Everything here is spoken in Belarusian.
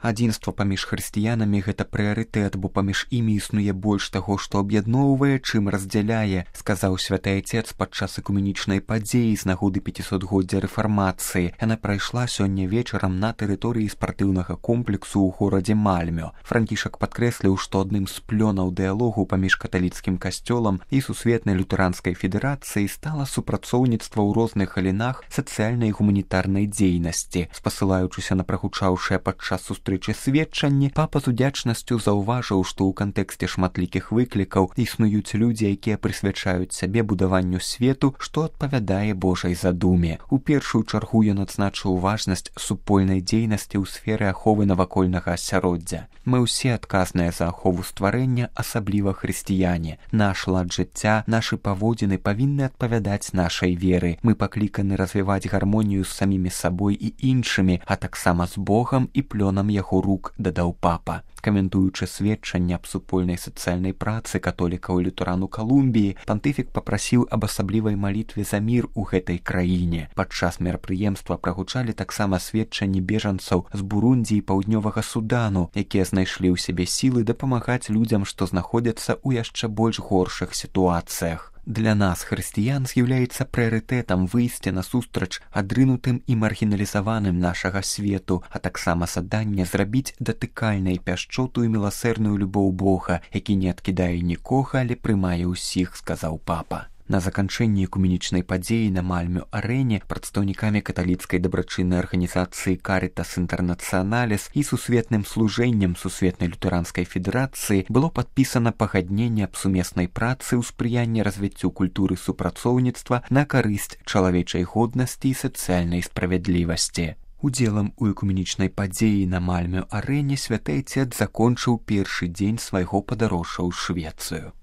Адзінства паміж хрысціянамі – гэта прыярытэт, бо паміж імі існуе больш таго, што аб'ядноўвае, чым раздзяляе, сказаў святы Айцец падчас экуменічнай падзеі з нагоды 500-годдзя рэфармацыі. Яна прайшла сёння вечарам на тэрыторыі спартыўнага комплексу ў горадзе Мальмё. Францішак падкрэсліў, што адным з плёнаў дыялогу паміж каталіцкім касцёлам і сусветнай лютэранскай федэрацыяй стала супрацоўніцтва ў розных галінах сацыяльнай і гуманітарнай дзейнасці. Спасылаючыся на прагучаўшае падчас сустрэчы сведчанні, папа з удзячнасцю заўважыў, што ў кантэксце шматлікіх выклікаў існуюць людзі, якія прысвячаюць сябе будаванню свету, што адпавядае Божай задуме. У першую чаргу ён адзначыў важнасць супольнай дзейнасці ў сферы аховы навакольнага асяроддзя. Мы ўсе адказныя за ахову стварэння, асабліва хрысціяне. Наш лад жыцця, нашы паводзіны павінны адпавядаць нашай веры. Мы пакліканы развіваць гармонію з самімі сабой і іншымі, а таксама з Богам і плёнам яго рук, дадаў папа. Каментуючы сведчанне аб супольнай сацыяльнай працы католікаў і лютэран у Калумбіі, пантыфік папрасіў аб асаблівай малітве за мір у гэтай краіне. Падчас мерапрыемства прагучалі таксама сведчанні бежанцаў з Бурундзі і Паўднёвага Судану, якія знайшлі ў сябе сілы дапамагаць людзям, што знаходзяцца ў яшчэ больш горшых сітуацыях. Для нас, хрысціян, з'яўляецца прыярытэтам выйсце насустрач адрынутым і маргіналізаваным нашага свету, а таксама заданне зрабіць датыкальнай пяшчоту і міласэрную любоў Бога, які не адкідае нікога, але прымае ўсіх, сказаў папа. На заканчэнні экуменічнай падзеі на Мальмё-арэне прадстаўнікамі каталіцкай дабрачыннай арганізацыі «Карытас Інтэрнацыяналіс» і сусветным служэннем сусветнай лютэранскай федэрацыі было падпісана пагадненне аб сумеснай працы ў спрыянні развіццю культуры супрацоўніцтва на карысць чалавечай годнасці і сацыяльнай справядлівасці. Удзелам у экуменічнай падзеі на Мальмё-арэне святы Айцец закончыў першы дзень свайго падарожжа ў Швецыю.